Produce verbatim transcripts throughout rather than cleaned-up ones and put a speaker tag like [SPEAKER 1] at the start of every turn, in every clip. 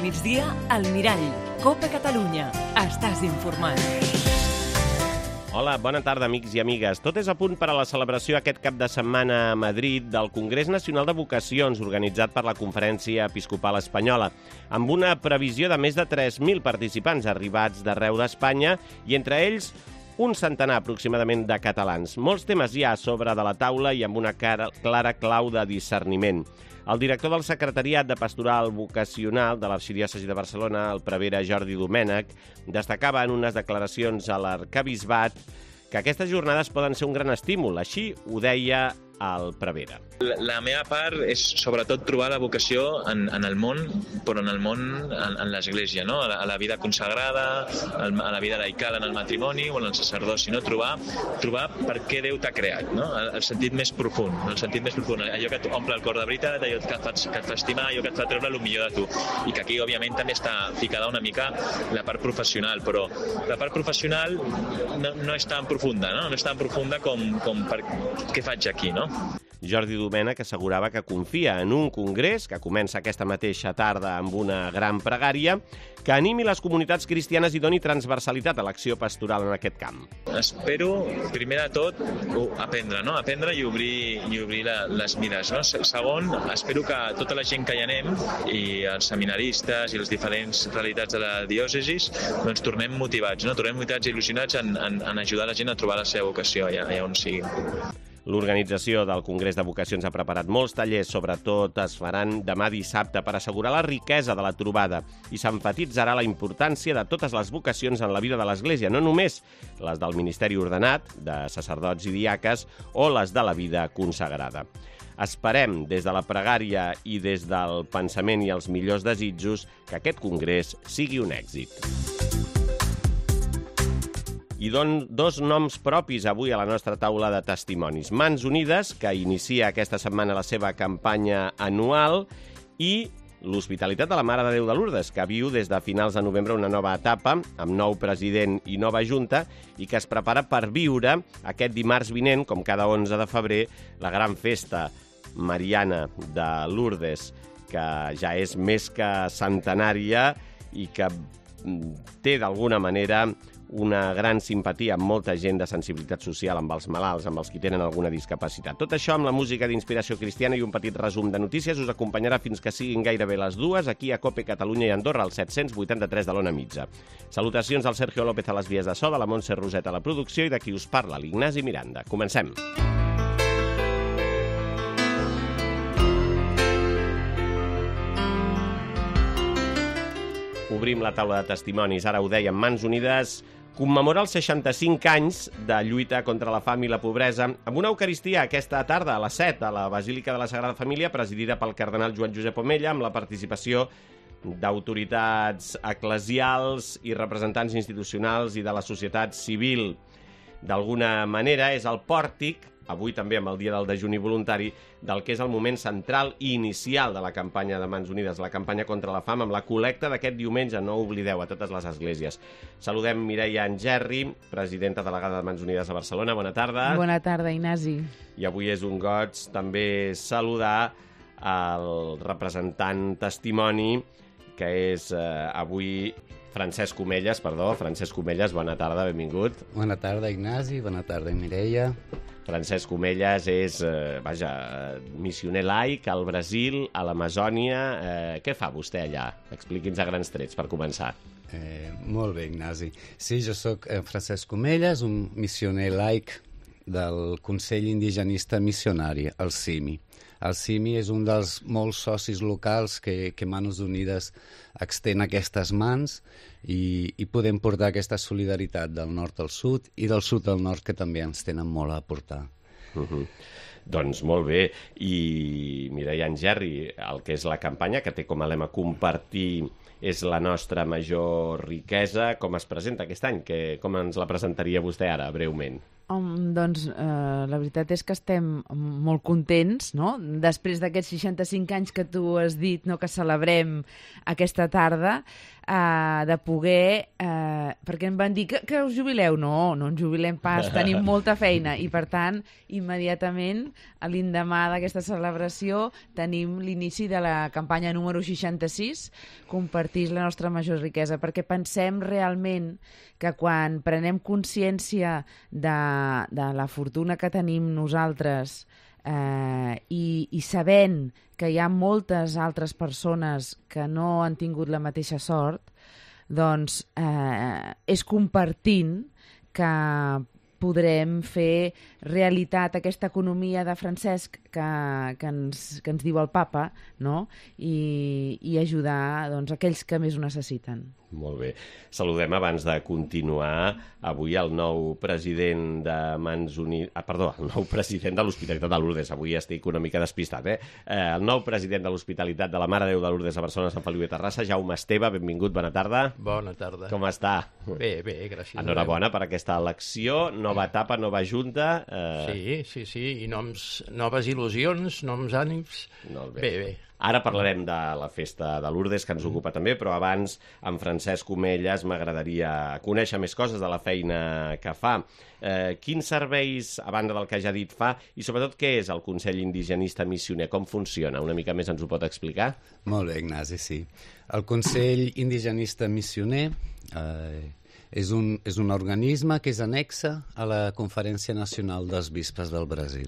[SPEAKER 1] migdia, al Mirall. Copa Catalunya. Estàs informat.
[SPEAKER 2] Hola, bona tarda, amics i amigues. Tot és a punt per a la celebració aquest cap de setmana a Madrid del Congrés Nacional de Vocacions, organitzat per la Conferència Episcopal Espanyola, amb una previsió de més de tres mil participants arribats d'arreu d'Espanya i entre ells un centenar aproximadament de catalans. Molts temes hi ha a sobre de la taula i amb una clara clau de discerniment. El director del Secretariat de Pastoral Vocacional de l'Arxidiòcesi de Barcelona, el prevere Jordi Domènech, destacava en unes declaracions a l'Arquebisbat que aquestes jornades poden ser un gran estímul. Així ho deia el prevere.
[SPEAKER 3] La, la meva part és sobretot trobar la vocació en, en el món, però en el món, en, en l'Església, no? a, la, a la vida consagrada, a la vida laical en el matrimoni o en el sacerdoci, no? trobar, trobar per què Déu t'ha creat, no? el, el sentit més profund, el sentit més profund, allò que t'omple el cor de veritat, allò que et, fa, que et fa estimar, allò que et fa treure el millor de tu. I que aquí, òbviament, també està ficada una mica la part professional, però la part professional no, no és tan profunda, no? no és tan profunda com, com per què faig aquí, no?
[SPEAKER 2] Jordi Domènech assegurava que confia en un congrés que comença aquesta mateixa tarda amb una gran pregària que animi les comunitats cristianes i doni transversalitat a l'acció pastoral en aquest camp.
[SPEAKER 3] Espero, primer de tot, aprendre, no? aprendre i obrir, i obrir la, les mires. No? Segon, espero que tota la gent que hi anem, i els seminaristes i les diferents realitats de la diòcesis, doncs tornem motivats, no? tornem motivats i il·lusionats en, en, en ajudar la gent a trobar la seva vocació allà, allà on sigui.
[SPEAKER 2] L'organització del Congrés de Vocacions ha preparat molts tallers, sobretot es faran demà dissabte per assegurar la riquesa de la trobada i s'emfatitzarà la importància de totes les vocacions en la vida de l'Església, no només les del ministeri ordenat, de sacerdots i diaques, o les de la vida consagrada. Esperem, des de la pregària i des del pensament i els millors desitjos, que aquest congrés sigui un èxit. I don dos noms propis avui a la nostra taula de testimonis. Mans Unides, que inicia aquesta setmana la seva campanya anual, i l'Hospitalitat de la Mare de Déu de Lourdes, que viu des de finals de novembre una nova etapa, amb nou president i nova junta, i que es prepara per viure aquest dimarts vinent, com cada onze de febrer, la gran festa mariana de Lourdes, que ja és més que centenària i que té d'alguna manera una gran simpatia amb molta gent de sensibilitat social, amb els malalts, amb els que tenen alguna discapacitat. Tot això amb la música d'inspiració cristiana i un petit resum de notícies us acompanyarà fins que siguin gairebé les dues, aquí a Cope Catalunya i Andorra, al set-cents vuitanta-tres de l'Ona Mitja. Salutacions al Sergio López a les vies de so, de la Montse Roset a la producció i de qui us parla, l'Ignasi Miranda. Comencem. Obrim la taula de testimonis, ara ho dèiem, Mans Unides commemora els seixanta-cinc anys de lluita contra la fam i la pobresa amb una eucaristia aquesta tarda a les set a la Basílica de la Sagrada Família, presidida pel cardenal Joan Josep Omella, amb la participació d'autoritats eclesials i representants institucionals i de la societat civil. D'alguna manera és el pòrtic, avui també amb el dia del dejuni voluntari, del que és el moment central i inicial de la campanya de Mans Unides, la campanya contra la fam, amb la col·lecta d'aquest diumenge, no oblideu, a totes les esglésies. Saludem Mireia Angerri, presidenta delegada de Mans Unides a Barcelona. Bona tarda.
[SPEAKER 4] Bona tarda, Ignasi.
[SPEAKER 2] I avui és un goig també saludar el representant testimoni, que és eh, avui Francesc Omelles, perdó, Francesc Omelles, bona tarda, benvingut.
[SPEAKER 5] Bona tarda, Ignasi, bona tarda, Mireia.
[SPEAKER 2] Francesc Omelles és, eh, vaja, missioner laic al Brasil, a l'Amazònia. Eh, què fa vostè allà? Expliqui'ns a grans trets, per començar.
[SPEAKER 5] Eh, molt bé, Ignasi. Sí, jo sóc eh, Francesc Omelles, un missioner laic del Consell Indigenista Missionari, el C I M I. El C I M I és un dels molts socis locals que, que Mans Unides extén aquestes mans i, i podem portar aquesta solidaritat del nord al sud i del sud al nord, que també ens tenen molt a aportar.
[SPEAKER 2] Uh-huh. Doncs molt bé. I Mireia Angerri, el que és la campanya, que té com a lema compartir és la nostra major riquesa, com es presenta aquest any? Que, com ens la presentaria vostè ara, breument?
[SPEAKER 4] Um, doncs eh, la veritat és que estem molt contents, no? Després d'aquests seixanta-cinc anys que tu has dit, no, que celebrem aquesta tarda, eh, de poder... Eh, perquè em van dir que, que us jubileu. No, no ens jubilem pas, tenim molta feina i, per tant, immediatament, a l'endemà d'aquesta celebració, tenim l'inici de la campanya número seixanta-sis, compartir la nostra major riquesa, perquè pensem realment que quan prenem consciència de, de la fortuna que tenim nosaltres eh, i, i sabent que hi ha moltes altres persones que no han tingut la mateixa sort, doncs eh, és compartint que podrem fer realitat aquesta economia de Francesc que, que, ens, que ens diu el papa, no? I, i ajudar, doncs, aquells que més ho necessiten.
[SPEAKER 2] Molt bé. Saludem, abans de continuar, avui el nou president de Mans Unides... Ah, perdó, el nou president de l'Hospitalitat de Lourdes. Avui estic una mica despistat, eh? eh el nou president de l'Hospitalitat de la Mare de Déu de Lourdes a Barcelona, Sant Feliu de Terrassa, Jaume Esteve, benvingut, bona tarda.
[SPEAKER 6] Bona tarda.
[SPEAKER 2] Com està?
[SPEAKER 6] Bé, bé, gràcies.
[SPEAKER 2] Enhorabona per aquesta elecció, nova etapa, nova junta. Eh...
[SPEAKER 6] Sí, sí, sí, i noms, noves il·lusions, noms ànims.
[SPEAKER 2] Molt bé.
[SPEAKER 6] Bé, bé.
[SPEAKER 2] Ara parlarem de la festa de Lourdes, que ens ocupa també, però abans, amb Francesc Omelles, m'agradaria conèixer més coses de la feina que fa. Eh, quins serveis, a banda del que ja ha dit, fa? I sobretot, què és el Consell Indigenista Missioner? Com funciona? Una mica més ens ho pot explicar?
[SPEAKER 5] Molt bé, Ignasi, sí. El Consell Indigenista Missioner eh, és, un, és un organisme que és annexa a la Conferència Nacional dels Bisbes del Brasil.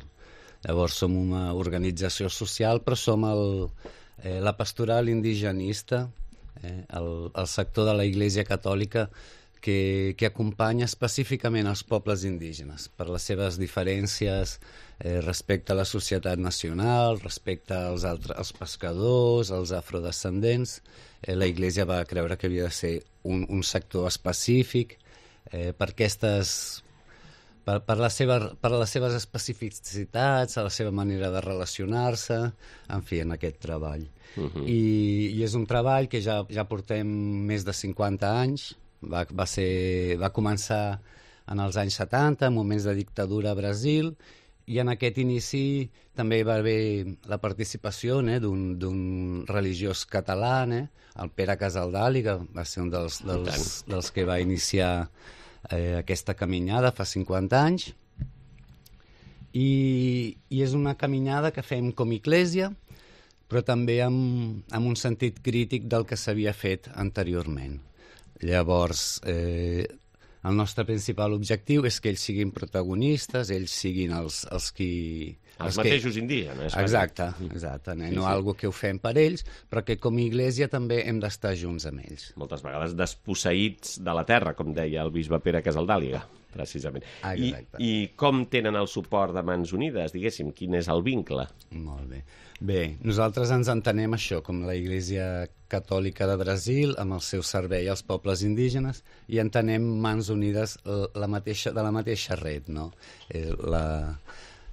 [SPEAKER 5] Llavors som una organització social, però som el, eh, la pastoral indigenista, eh, el, el sector de la Iglesia Catòlica que, que acompanya específicament els pobles indígenes per les seves diferències eh, respecte a la societat nacional, respecte als, altres, als pescadors, als afrodescendents. Eh, la Iglesia va creure que havia de ser un, un sector específic eh, per aquestes... Per, per, la seva, per les seves especificitats, a la seva manera de relacionar-se, en fi, en aquest treball. Uh-huh. I, I és un treball que ja, ja portem més de cinquanta anys, va, va, ser, va començar en els anys setanta, en moments de dictadura a Brasil, i en aquest inici també hi va haver la participació eh, d'un religiós català, eh, el Pere Casaldali, que va ser un dels, dels, dels que va iniciar Eh, aquesta caminada fa cinquanta anys i, i és una caminada que fem com Iglesia, però també amb, amb un sentit crític del que s'havia fet anteriorment. Llavors, eh, el nostre principal objectiu és que ells siguin protagonistes, ells siguin els, els qui...
[SPEAKER 2] Els, els mateixos que... indígenes.
[SPEAKER 5] Exacte, exacte. Eh? Sí, no sí. Algo que ho fem per ells, però que com a Iglesia també hem d'estar junts amb ells.
[SPEAKER 2] Moltes vegades desposseïts de la terra, com deia el bisbe Pere Casaldàliga, precisament. I, I com tenen el suport de Mans Unides, diguéssim? Quin és el vincle?
[SPEAKER 5] Molt bé. Bé, nosaltres ens entenem això com la Iglesia Catòlica de Brasil, amb el seu servei als pobles indígenes, i entenem Mans Unides la mateixa, de la mateixa red, no? Eh, la...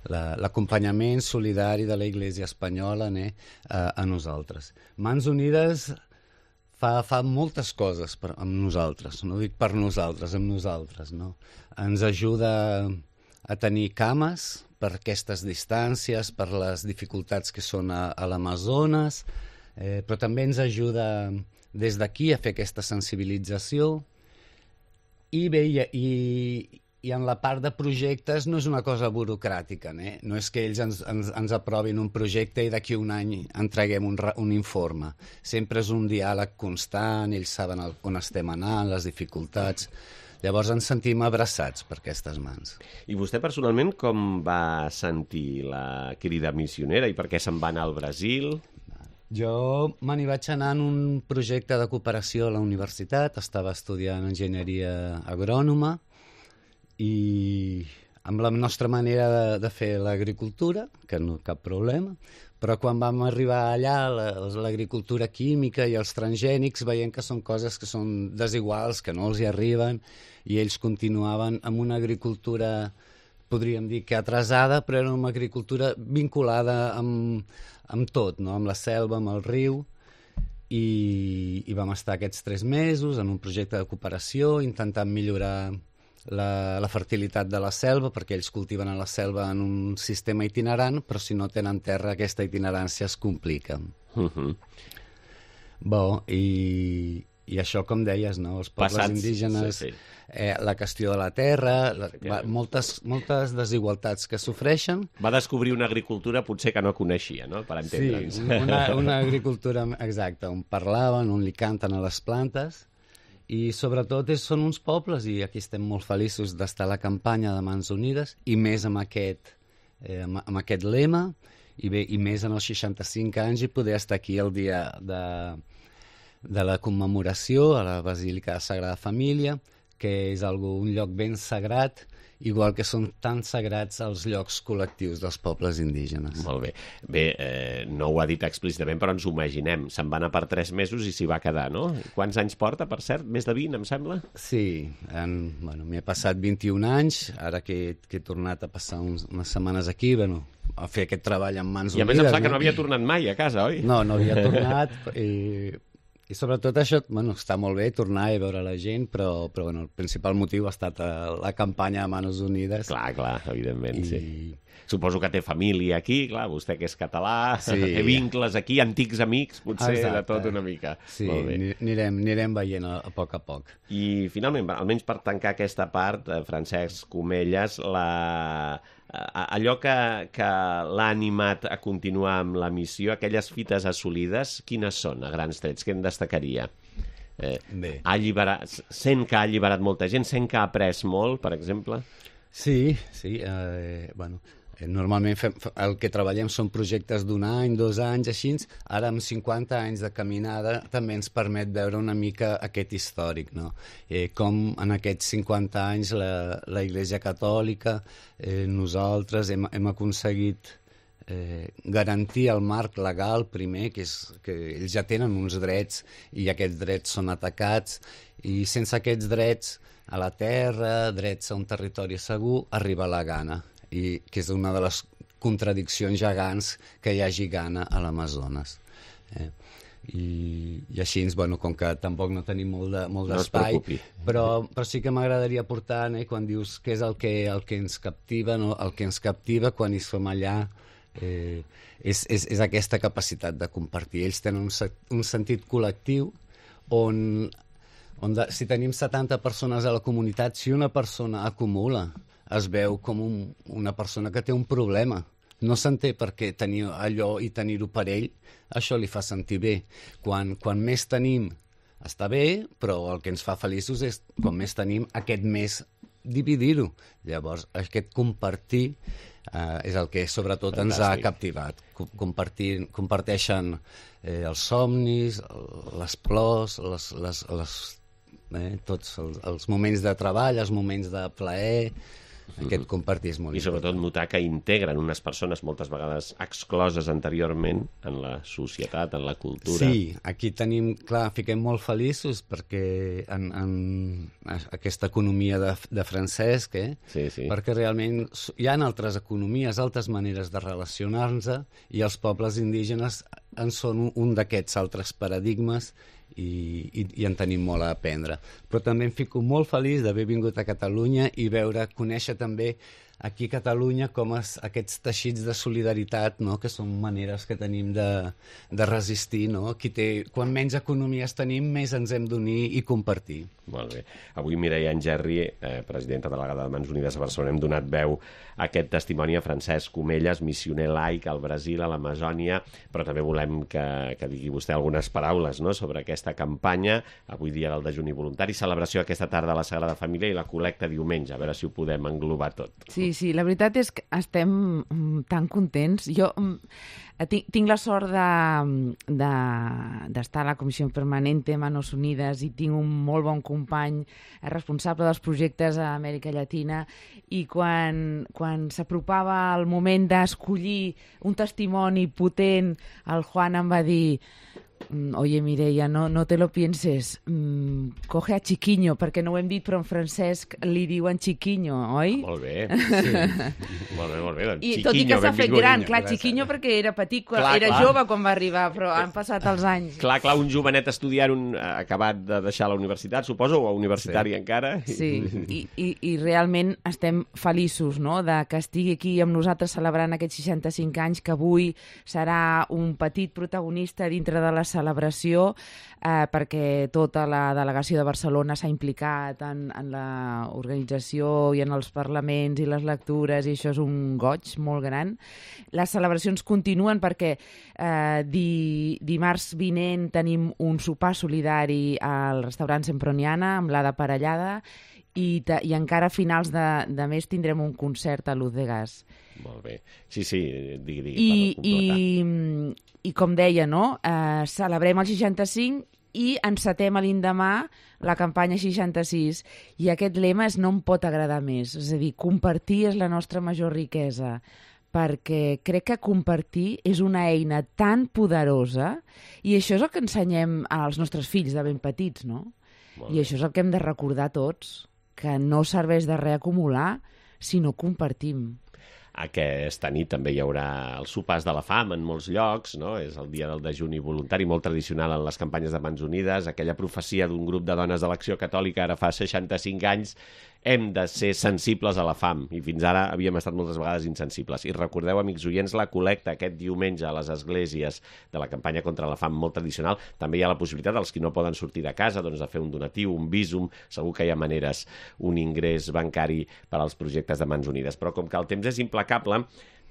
[SPEAKER 5] l'acompanyament solidari de la Iglesia espanyola eh, a, a nosaltres. Mans Unides fa, fa moltes coses per, amb nosaltres, no dic per nosaltres, amb nosaltres. No? Ens ajuda a tenir cames per aquestes distàncies, per les dificultats que són a, a l'Amazones, eh, però també ens ajuda des d'aquí a fer aquesta sensibilització i bé, i, i I en la part de projectes no és una cosa burocràtica, eh? No és que ells ens, ens, ens aprovin un projecte i d'aquí un any entreguem un, un informe. Sempre és un diàleg constant, ells saben el, on estem anant, les dificultats. Llavors ens sentim abraçats per aquestes mans.
[SPEAKER 2] I vostè personalment com va sentir la crida missionera i per què se'n va anar al Brasil?
[SPEAKER 5] Jo me n'hi vaig anar en un projecte de cooperació a la universitat, estava estudiant enginyeria agrònoma, i amb la nostra manera de, de fer l'agricultura, que no cap problema, però quan vam arribar allà, l'agricultura química i els transgènics, veiem que són coses que són desiguals, que no els hi arriben, i ells continuaven amb una agricultura, podríem dir que atrasada, però era una agricultura vinculada amb, amb tot, no? Amb la selva, amb el riu, i, i vam estar aquests tres mesos en un projecte de cooperació intentant millorar la, la fertilitat de la selva, perquè ells cultiven a la selva en un sistema itinerant, però si no tenen terra aquesta itinerància es complica.
[SPEAKER 2] Uh-huh.
[SPEAKER 5] Bo, i, i això, com deies, no? Els pobles
[SPEAKER 2] Passats,
[SPEAKER 5] indígenes,
[SPEAKER 2] sí, sí.
[SPEAKER 5] Eh, la qüestió de la terra, la, va, moltes, moltes desigualtats que sofreixen.
[SPEAKER 2] Va descobrir una agricultura potser que no coneixia, no?, per entendre'ns.
[SPEAKER 5] Sí, una, una agricultura exacta, on parlaven, on li canten a les plantes, i sobretot és, són uns pobles, i aquí estem molt feliços d'estar a la campanya de Mans Unides, i més amb aquest, eh, amb, amb aquest lema, i, bé, i més en els seixanta-cinc anys, i poder estar aquí el dia de, de la commemoració a la Basílica de Sagrada Família, que és algo, un lloc ben sagrat, igual que són tan sagrats els llocs col·lectius dels pobles indígenes.
[SPEAKER 2] Molt bé. Bé, eh, no ho ha dit explícitament, però ens ho imaginem. Se'n va anar per tres mesos i s'hi va quedar, no? Quants anys porta, per cert? Més de vint, em sembla?
[SPEAKER 5] Sí, en, bueno, m'he passat vint-i-un anys, ara que, que he tornat a passar uns, unes setmanes aquí, bueno, a fer aquest treball amb Mans
[SPEAKER 2] I a
[SPEAKER 5] Unides.
[SPEAKER 2] més em sembla
[SPEAKER 5] no?
[SPEAKER 2] que no havia tornat mai a casa, oi?
[SPEAKER 5] No, no havia tornat, i... I sobretot això, bueno, està molt bé tornar i veure la gent, però, però bueno, el principal motiu ha estat la campanya de Manos Unides.
[SPEAKER 2] Clar, clar, evidentment,
[SPEAKER 5] I...
[SPEAKER 2] sí. Suposo que té família aquí, clar, vostè que és català,
[SPEAKER 5] Sí.
[SPEAKER 2] té vincles aquí, antics amics, potser
[SPEAKER 5] Exacte.
[SPEAKER 2] de tot una mica.
[SPEAKER 5] Sí,
[SPEAKER 2] Molt bé.
[SPEAKER 5] anirem, anirem veient a, a poc a poc.
[SPEAKER 2] I finalment, almenys per tancar aquesta part, eh, Francesc Comelles, la... allò que, que l'ha animat a continuar amb la missió, aquelles fites assolides, quines són, a grans trets? Què en destacaria? Eh,
[SPEAKER 5] Bé.
[SPEAKER 2] ha alliberat, sent que ha alliberat molta gent, sent que ha après molt, per exemple?
[SPEAKER 5] Sí, sí, eh, bueno, eh, normalment fem, el que treballem són projectes d'un any, dos anys, així. Ara amb cinquanta anys de caminada també ens permet veure una mica aquest històric, no? Eh, com en aquests cinquanta anys la, la Iglesia Catòlica, eh, nosaltres hem, hem aconseguit eh, garantir el marc legal primer, que és que ells ja tenen uns drets i aquests drets són atacats, i sense aquests drets a la terra, drets a un territori segur, arriba la gana, i que és una de les contradiccions gegants que hi hagi gana a l'Amazones. Eh? I, I així, bueno, com que tampoc no tenim molt de, molt
[SPEAKER 2] No es
[SPEAKER 5] d'espai,
[SPEAKER 2] preocupi.
[SPEAKER 5] però, però sí que m'agradaria portar, eh, quan dius què és el que, el que ens captiva, no? El que ens captiva quan hi som allà eh, és, és, és aquesta capacitat de compartir. Ells tenen un, se- un sentit col·lectiu on, on de, si tenim setanta persones a la comunitat, si una persona acumula, es veu com un, una persona que té un problema. No s'entén per què tenir allò i tenir-ho per ell, això li fa sentir bé. Quan, quan més tenim, està bé, però el que ens fa feliços és, com més tenim, aquest més dividir-ho. Llavors, aquest compartir eh, és el que sobretot Fantàstic. Ens ha captivat. Co- Compartir, comparteixen eh, els somnis, les plors, les, les, les, eh, tots els, els moments de treball, els moments de plaer. Aquest compartir és molt
[SPEAKER 2] I sobretot notar que integren unes persones moltes vegades excloses anteriorment en la societat, en la cultura.
[SPEAKER 5] Sí, aquí tenim, clar, fiquem molt feliços perquè en, en aquesta economia de, de Francesc, eh?
[SPEAKER 2] Sí, sí.
[SPEAKER 5] Perquè realment s- hi ha altres economies, altres maneres de relacionar-nos, i els pobles indígenes en són un, un d'aquests altres paradigmes, i, i, i en tenim molt a aprendre. Però també em fico molt feliç d'haver vingut a Catalunya i veure, conèixer també aquí a Catalunya com es, aquests teixits de solidaritat, no? Que són maneres que tenim de, de resistir. No? Qui té, quan menys economies tenim, més ens hem d'unir i compartir.
[SPEAKER 2] Molt bé. Avui Mireia Engerri, eh, presidenta delegada de Mans Unides a Barcelona, hem donat veu a aquest testimoni a Francesc Comelles, missioner laic al Brasil, a l'Amazònia, però també volem que, que digui vostè algunes paraules, no?, sobre aquesta campanya, avui dia del dejuni voluntari, celebració aquesta tarda a la Sagrada Família i la col·lecta diumenge, a veure si ho podem englobar tot.
[SPEAKER 4] Sí, sí, la veritat és que estem mm, tan contents. Jo mm, tinc, tinc la sort de- de- d'estar a la Comissió Permanente Manos Unides i tinc un molt bon company responsable dels projectes a Amèrica Llatina, i quan, quan s'apropava el moment d'escollir un testimoni potent, el Juan em va dir: mm, oye, Mireia, no, no te lo pienses, mm, coge a Chiquiño, perquè no ho hem dit, però en Francesc li diuen Chiquiño, oi?
[SPEAKER 2] Molt bé. Sí. molt bé, molt bé. Doncs,
[SPEAKER 4] I
[SPEAKER 2] Chiquiño,
[SPEAKER 4] tot i que s'ha fet
[SPEAKER 2] benvingut.
[SPEAKER 4] gran, clar, Chiquiño perquè era petit, quan,
[SPEAKER 2] Clar,
[SPEAKER 4] era
[SPEAKER 2] clar.
[SPEAKER 4] jove quan va arribar, però han passat els anys.
[SPEAKER 2] Clar, clar, un jovenet estudiant un, acabat de deixar la universitat, suposo, o universitari
[SPEAKER 5] Sí.
[SPEAKER 2] encara.
[SPEAKER 4] Sí, i, i, i realment estem feliços, no?, de que estigui aquí amb nosaltres celebrant aquests seixanta-cinc anys, que avui serà un petit protagonista dintre de la celebració, eh, perquè tota la delegació de Barcelona s'ha implicat en, en l'organització i en els parlaments i les lectures, i això és un goig molt gran. Les celebracions continuen perquè eh, di, dimarts vinent tenim un sopar solidari al restaurant Semproniana amb l'Ada Parellada, i, ta, i encara a finals de, de mes tindrem un concert a Luz de Gas.
[SPEAKER 2] Molt bé. Sí, sí, digui, digui,
[SPEAKER 4] I,
[SPEAKER 2] per completar.
[SPEAKER 4] i, I com deia, no? Eh, celebrem el seixanta-cinc i encetem a l'endemà la campanya seixanta-sis. I aquest lema és no em pot agradar més. És a dir, compartir és la nostra major riquesa, perquè crec que compartir és una eina tan poderosa, i això és el que ensenyem als nostres fills de ben petits, no?
[SPEAKER 2] Molt
[SPEAKER 4] I
[SPEAKER 2] bé.
[SPEAKER 4] això és el que hem de recordar tots, que no serveix de res acumular si no compartim.
[SPEAKER 2] Aquesta nit també hi haurà els sopars de la fam en molts llocs, no? És el dia del dejuni voluntari, molt tradicional en les campanyes de Mans Unides, aquella profecia d'un grup de dones de l'Acció Catòlica ara fa seixanta-cinc anys, hem de ser sensibles a la fam, i fins ara havíem estat moltes vegades insensibles. I recordeu, amics oients, la col·lecta aquest diumenge a les esglésies de la campanya contra la fam, molt tradicional. També hi ha la possibilitat dels qui no poden sortir de casa, doncs, de fer un donatiu, un bísum, segur que hi ha maneres, un ingrés bancari per als projectes de Mans Unides. Però com que el temps és implacable,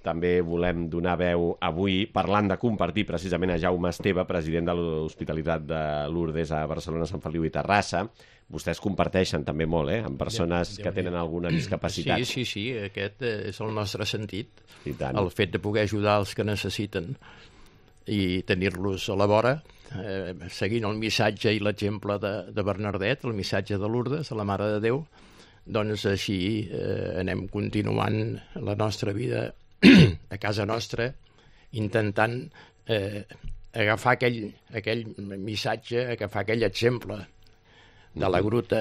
[SPEAKER 2] també volem donar veu avui, parlant de compartir, precisament a Jaume Esteve, president de l'Hospitalitat de Lourdes a Barcelona, Sant Feliu i Terrassa. Vostès comparteixen també molt, eh?, amb persones que tenen alguna discapacitat.
[SPEAKER 6] Sí, sí, sí, aquest és el nostre sentit.
[SPEAKER 2] I tant.
[SPEAKER 6] El fet de poder ajudar els que necessiten i tenir-los a la vora, eh, seguint el missatge i l'exemple de, de Bernardet, el missatge de Lourdes, de la Mare de Déu, doncs així eh, anem continuant la nostra vida a casa nostra, intentant eh, agafar aquell, aquell missatge, agafar aquell exemple de la gruta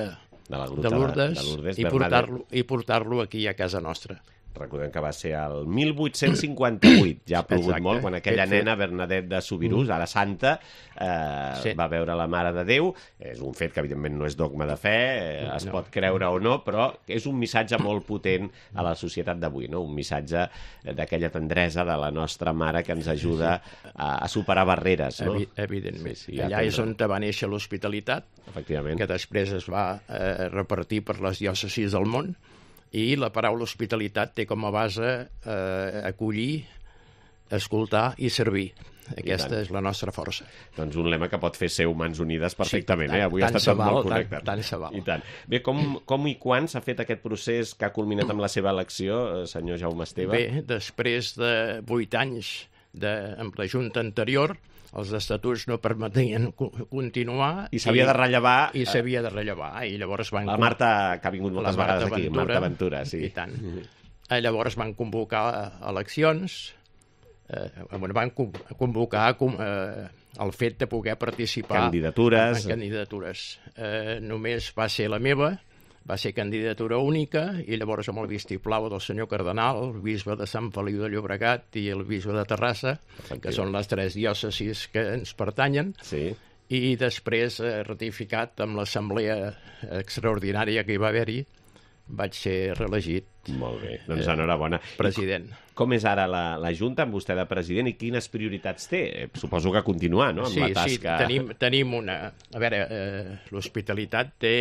[SPEAKER 2] de, la gruta
[SPEAKER 6] de Lourdes,
[SPEAKER 2] de, de Lourdes
[SPEAKER 6] i portar-lo i portar-lo aquí a casa nostra.
[SPEAKER 2] Recordem que va ser el mil vuit-cents cinquanta-vuit, ja ha plogut
[SPEAKER 6] Exacte.
[SPEAKER 2] molt, quan aquella
[SPEAKER 6] Aquest
[SPEAKER 2] nena, Bernadette de Subirús, ara santa, eh,
[SPEAKER 6] Sí.
[SPEAKER 2] va veure la Mare de Déu. És un fet que, evidentment, no és dogma de fe, eh, es
[SPEAKER 6] No.
[SPEAKER 2] pot creure o no, però és un missatge molt potent a la societat d'avui, no? Un missatge d'aquella tendresa de la nostra mare que ens ajuda a, a superar barreres, no?
[SPEAKER 6] Evi evidentment.
[SPEAKER 2] Sí, sí, ja
[SPEAKER 6] Allà és
[SPEAKER 2] tindrà.
[SPEAKER 6] on va néixer l'hospitalitat,
[SPEAKER 2] Efectivament.
[SPEAKER 6] que després es va eh, repartir per les diòcesis del món, i la paraula hospitalitat té com a base eh, acollir, escoltar i servir. Aquesta
[SPEAKER 2] tant.
[SPEAKER 6] és la nostra força.
[SPEAKER 2] Doncs un lema que pot fer ser Mans Unides perfectament,
[SPEAKER 6] Sí,
[SPEAKER 2] eh?
[SPEAKER 6] tant-
[SPEAKER 2] Avui ha
[SPEAKER 6] tant
[SPEAKER 2] estat
[SPEAKER 6] se val,
[SPEAKER 2] molt
[SPEAKER 6] tant-
[SPEAKER 2] correcte.
[SPEAKER 6] tant se val.
[SPEAKER 2] I tant. Bé, com, com i quan s'ha fet aquest procés que ha culminat amb la seva elecció, eh, senyor Jaume Esteve?
[SPEAKER 6] Bé, després de vuit anys de, amb la Junta anterior, els estatuts no permetien co- continuar.
[SPEAKER 2] I s'havia de rellevar...
[SPEAKER 6] I s'havia de rellevar. I llavors van...
[SPEAKER 2] La Marta, que ha vingut moltes
[SPEAKER 6] la Marta
[SPEAKER 2] vegades aquí,
[SPEAKER 6] Ventura,
[SPEAKER 2] Marta Ventura, sí.
[SPEAKER 6] I tant. Eh, Llavors van convocar eleccions, eh, bueno, van con- convocar com, eh, el fet de poder participar
[SPEAKER 2] Candidatures.
[SPEAKER 6] en, en candidatures. Eh, només va ser la meva, va ser candidatura única, i llavors amb el vistiplau del senyor cardenal, el bisbe de Sant Feliu de Llobregat i el bisbe de Terrassa, que són les tres diòcesis que ens pertanyen,
[SPEAKER 2] Sí.
[SPEAKER 6] i després eh, ratificat amb l'assemblea extraordinària que hi va haver-hi, vaig ser reelegit
[SPEAKER 2] Molt bé, doncs enhorabona.
[SPEAKER 6] president.
[SPEAKER 2] Com és ara la, la Junta amb vostè de president i quines prioritats té? Eh, Suposo que continuar, no?, amb
[SPEAKER 6] Sí,
[SPEAKER 2] la
[SPEAKER 6] sí,
[SPEAKER 2] tasca...
[SPEAKER 6] tenim, tenim una... A veure, eh, l'hospitalitat té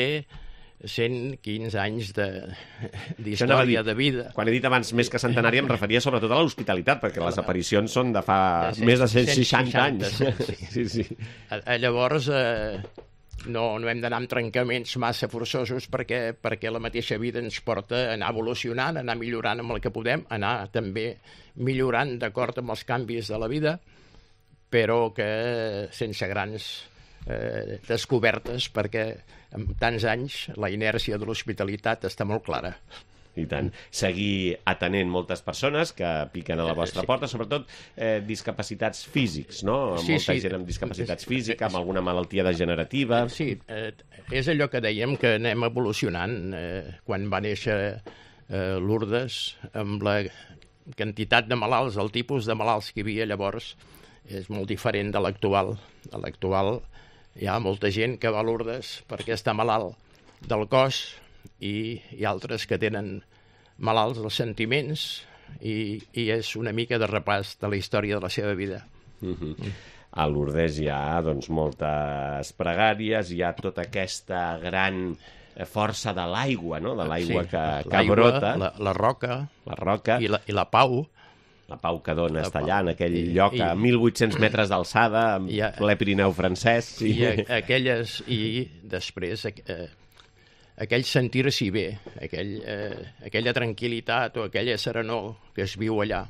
[SPEAKER 6] cent quinze anys de-
[SPEAKER 2] Això anava a dir,
[SPEAKER 6] d'història de vida.
[SPEAKER 2] Quan he dit abans més que centenari em referia sobretot a l'hospitalitat, perquè les aparicions són de fa
[SPEAKER 6] De cent-
[SPEAKER 2] més de cent
[SPEAKER 6] cent
[SPEAKER 2] seixanta anys.
[SPEAKER 6] seixanta,
[SPEAKER 2] Sí, sí.
[SPEAKER 6] Eh, eh, Llavors, eh, no, no hem d'anar amb trencaments massa forçosos perquè, perquè la mateixa vida ens porta a anar evolucionant, a anar millorant amb el que podem, anar també millorant d'acord amb els canvis de la vida, però que sense grans eh, descobertes, perquè en tants anys la inèrcia de l'hospitalitat està molt clara.
[SPEAKER 2] I tant. Seguir atenent moltes persones que piquen a la vostra
[SPEAKER 6] Sí.
[SPEAKER 2] porta, sobretot eh, discapacitats físics, no?
[SPEAKER 6] Sí,
[SPEAKER 2] Molta
[SPEAKER 6] sí.
[SPEAKER 2] gent amb discapacitats físiques, amb alguna malaltia degenerativa.
[SPEAKER 6] Sí, eh, és allò que dèiem que anem evolucionant. Eh, quan va néixer eh, Lourdes, amb la quantitat de malalts, el tipus de malalts que hi havia llavors, és molt diferent de l'actual. A l'actual hi ha molta gent que va a Lourdes perquè està malalt del cos i hi ha altres que tenen malalts dels sentiments i, i és una mica de repàs de la història de la seva vida.
[SPEAKER 2] Uh-huh. A Lourdes hi ha doncs, moltes pregàries, hi ha tota aquesta gran força de l'aigua, no? De l'aigua
[SPEAKER 6] Sí,
[SPEAKER 2] que, que
[SPEAKER 6] l'aigua,
[SPEAKER 2] brota,
[SPEAKER 6] La, la roca
[SPEAKER 2] la roca,
[SPEAKER 6] i la, i la pau.
[SPEAKER 2] la pau que dona
[SPEAKER 6] La
[SPEAKER 2] està
[SPEAKER 6] pau.
[SPEAKER 2] allà, en aquell
[SPEAKER 6] I-
[SPEAKER 2] lloc
[SPEAKER 6] i-
[SPEAKER 2] a mil vuit-cents metres d'alçada, en
[SPEAKER 6] I a-
[SPEAKER 2] ple Pirineu francès. Sí.
[SPEAKER 6] I a, aquelles, i després eh, aquell sentir-s'hi bé, aquell, eh, aquella tranquil·litat o aquella serenor que es viu allà,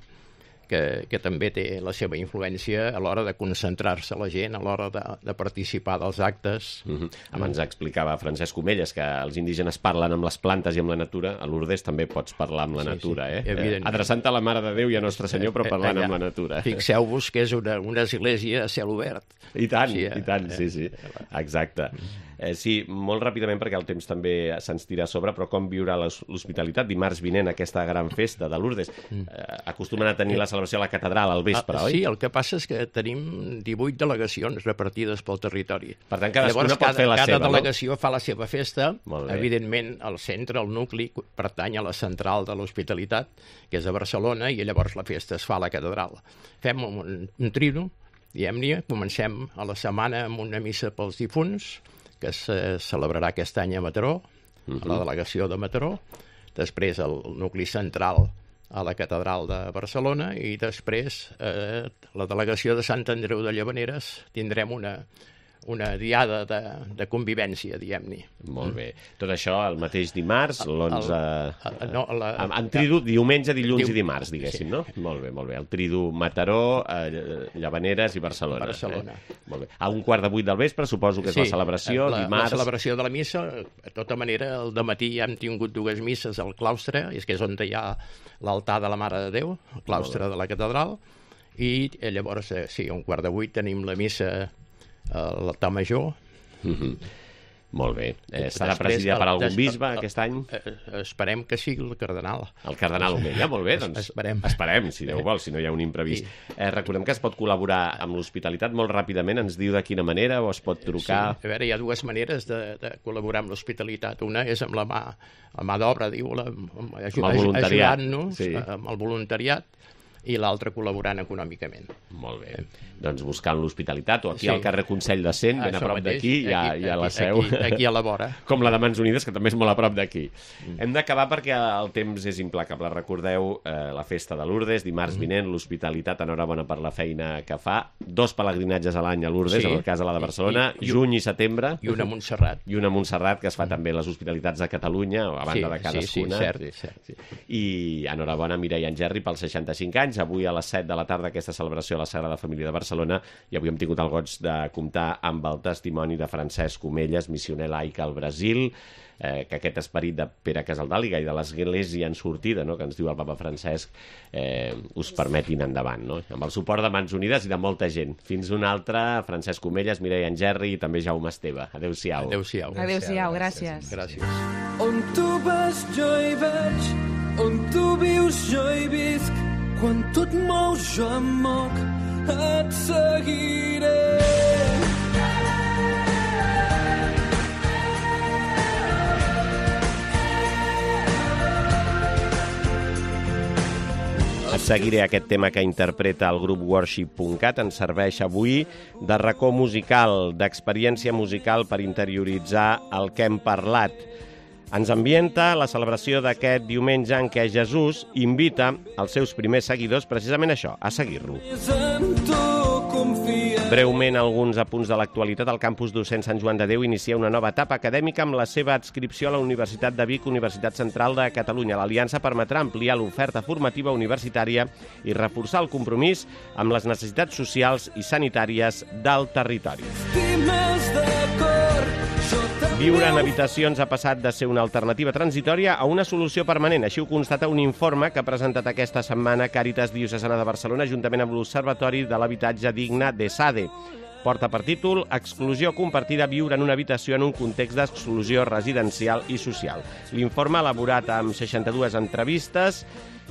[SPEAKER 6] que, que també té la seva influència a l'hora de concentrar-se la gent, a l'hora de, de participar dels actes.
[SPEAKER 2] Uh-huh. Abans explicava Francesc Comelles que els indígenes parlen amb les plantes i amb la natura. A Lourdes també pots parlar amb la
[SPEAKER 6] Sí,
[SPEAKER 2] natura,
[SPEAKER 6] sí,
[SPEAKER 2] eh?
[SPEAKER 6] evidentment.
[SPEAKER 2] Adreçant a la Mare de Déu i a Nostre Senyor, però parlant
[SPEAKER 6] Allà,
[SPEAKER 2] amb la natura.
[SPEAKER 6] Fixeu-vos que és una, una església a cel obert.
[SPEAKER 2] I tant,
[SPEAKER 6] Sí,
[SPEAKER 2] sí,
[SPEAKER 6] eh?
[SPEAKER 2] i tant, sí, sí, exacte. Eh, sí, molt ràpidament, perquè el temps també se'ns tira a sobre, però com viurà l'hos- l'hospitalitat dimarts vinent, aquesta gran festa de Lourdes? Eh, acostumen a tenir la celebració a la catedral al vespre,
[SPEAKER 6] Ah,
[SPEAKER 2] oi?
[SPEAKER 6] sí, el que passa és que tenim divuit delegacions repartides pel territori.
[SPEAKER 2] Per tant, cadascuna
[SPEAKER 6] Llavors,
[SPEAKER 2] pot
[SPEAKER 6] cada,
[SPEAKER 2] fer la
[SPEAKER 6] cada
[SPEAKER 2] seva, no?
[SPEAKER 6] delegació fa la seva festa.
[SPEAKER 2] Molt bé.
[SPEAKER 6] Evidentment, el centre, el nucli, pertany a la central de l'hospitalitat, que és a Barcelona, i llavors la festa es fa a la catedral. Fem un, un trino, diguem-ne, comencem a la setmana amb una missa pels difunts, que se celebrarà aquest any a Mataró, a la delegació de Mataró, després el nucli central a la catedral de Barcelona i després eh, la delegació de Sant Andreu de Llavaneres tindrem una, una diada de, de convivència, diguem-ne.
[SPEAKER 2] Molt bé. Tot això el mateix dimarts, l'onze...
[SPEAKER 6] el- no, la-
[SPEAKER 2] En, en tridu, diumenge, dilluns
[SPEAKER 6] Diu-
[SPEAKER 2] i dimarts, diguéssim,
[SPEAKER 6] sí.
[SPEAKER 2] no? Molt bé, molt bé. El tridu Mataró, eh, Llavaneres i Barcelona.
[SPEAKER 6] Barcelona.
[SPEAKER 2] Eh? Molt bé. A un quart de vuit del vespre, suposo que és la celebració,
[SPEAKER 6] la,
[SPEAKER 2] dimarts...
[SPEAKER 6] La celebració de la missa, de tota manera, el dematí ja hem tingut dues misses al claustre, és que és on hi ha l'altar de la Mare de Déu, el claustre de la catedral, i eh, llavors, eh, sí, a un quart de vuit tenim la missa a l'altar major.
[SPEAKER 2] Mhm. Molt bé. Eh, serà
[SPEAKER 6] Després,
[SPEAKER 2] presidida per
[SPEAKER 6] el-
[SPEAKER 2] algun
[SPEAKER 6] des-
[SPEAKER 2] bisbe
[SPEAKER 6] el-
[SPEAKER 2] aquest any?
[SPEAKER 6] Eh, esperem que sigui el cardenal.
[SPEAKER 2] El cardenal Omella, molt bé, doncs
[SPEAKER 6] Esperem.
[SPEAKER 2] esperem, si Déu vol, si no hi ha un imprevist. Eh, recordem que es pot col·laborar amb l'hospitalitat molt ràpidament, ens diu de quina manera o es pot trucar...
[SPEAKER 6] Sí, a veure, hi ha dues maneres de, de col·laborar amb l'hospitalitat. Una és amb la mà, la mà d'obra, diu, la, amb, aju-
[SPEAKER 2] Amb el voluntariat,
[SPEAKER 6] ajudant-nos
[SPEAKER 2] sí.
[SPEAKER 6] amb el voluntariat, i l'altre col·laborant econòmicament.
[SPEAKER 2] Molt bé. Doncs buscant l'hospitalitat o aquí
[SPEAKER 6] Sí.
[SPEAKER 2] al carrer Consell de Cent, ben a
[SPEAKER 6] Això
[SPEAKER 2] prop
[SPEAKER 6] mateix,
[SPEAKER 2] d'aquí, hi, ha,
[SPEAKER 6] aquí-
[SPEAKER 2] hi ha la
[SPEAKER 6] aquí-
[SPEAKER 2] seu.
[SPEAKER 6] Aquí, aquí a la vora.
[SPEAKER 2] Com la de Mans Unides, que també és molt a prop d'aquí. Mm. Hem d'acabar perquè el temps és implacable. Recordeu eh, la festa de Lourdes, dimarts mm. vinent, l'hospitalitat, enhorabona per la feina que fa. Dos pelegrinatges a l'any a Lourdes,
[SPEAKER 6] Sí.
[SPEAKER 2] en el cas de la de Barcelona,
[SPEAKER 6] I- i-
[SPEAKER 2] juny i setembre.
[SPEAKER 6] I una a Montserrat.
[SPEAKER 2] I una a Montserrat, que es fa també a les hospitalitats de Catalunya, a banda
[SPEAKER 6] Sí,
[SPEAKER 2] de cadascuna.
[SPEAKER 6] sí, sí, cert, cert.
[SPEAKER 2] Sí. I enhorabona a Mireia Engerri pels seixanta-cinc anys. Avui a les set de la tarda aquesta celebració a la Sagrada Família de Barcelona, i avui hem tingut el goig de comptar amb el testimoni de Francesc Comelles, missioner laic al Brasil, eh, que aquest esperit de Pere Casaldàliga i de l'Església en sortida, no?, que ens diu el papa Francesc, eh, us permetin endavant, no?, amb el suport de Mans Unides i de molta gent. Fins una altra, Francesc Comelles, Mireia Engerri i també Jaume Esteve. Adéu-siau.
[SPEAKER 6] Adéu-siau.
[SPEAKER 4] Adéu-siau, gràcies.
[SPEAKER 6] Gràcies.
[SPEAKER 7] On tu vas jo hi vaig, on tu vius jo hi visc, quan tu et mous jo em moc, et seguiré.
[SPEAKER 2] Et seguiré. Aquest tema que interpreta el grup worship punt cat ens serveix avui de racó musical, d'experiència musical per interioritzar el que hem parlat. Ens ambienta la celebració d'aquest diumenge en què Jesús invita els seus primers seguidors precisament això, a seguir-lo.
[SPEAKER 7] És en tu confia.
[SPEAKER 2] Breument, alguns apunts de l'actualitat. El campus docent Sant Joan de Déu inicia una nova etapa acadèmica amb la seva adscripció a la Universitat de Vic, Universitat Central de Catalunya. L'aliança permetrà ampliar l'oferta formativa universitària i reforçar el compromís amb les necessitats socials i sanitàries del territori.
[SPEAKER 7] Estimes de cor, jo t'amaré.
[SPEAKER 2] Viure en habitacions ha passat de ser una alternativa transitòria a una solució permanent. Així ho constata un informe que ha presentat aquesta setmana Càritas Diocesana de Barcelona juntament amb l'Observatori de l'Habitatge Digne d'ESADE. Porta per títol Exclusió compartida, viure en una habitació en un context d'exclusió residencial i social. L'informe, elaborat amb seixanta-dues entrevistes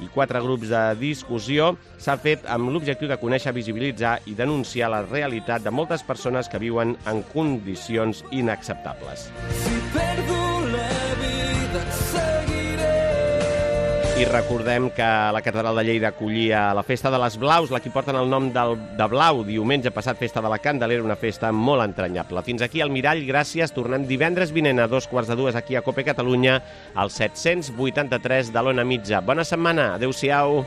[SPEAKER 2] i quatre grups de discussió, s'ha fet amb l'objectiu de conèixer, visibilitzar i denunciar la realitat de moltes persones que viuen en condicions inacceptables.
[SPEAKER 7] Si perdo la vida et seguiré.
[SPEAKER 2] I recordem que la Catedral de Lleida acollia la Festa de les Blaus, la que porten el nom del, de Blau, diumenge passat, Festa de la Candelera, una festa molt entranyable. Fins aquí el Mirall, gràcies. Tornem divendres vinent a dos quarts de dues aquí a Cope Catalunya, al set-cents vuitanta-tres de l'Ona Mitja. Bona setmana, adeu-siau.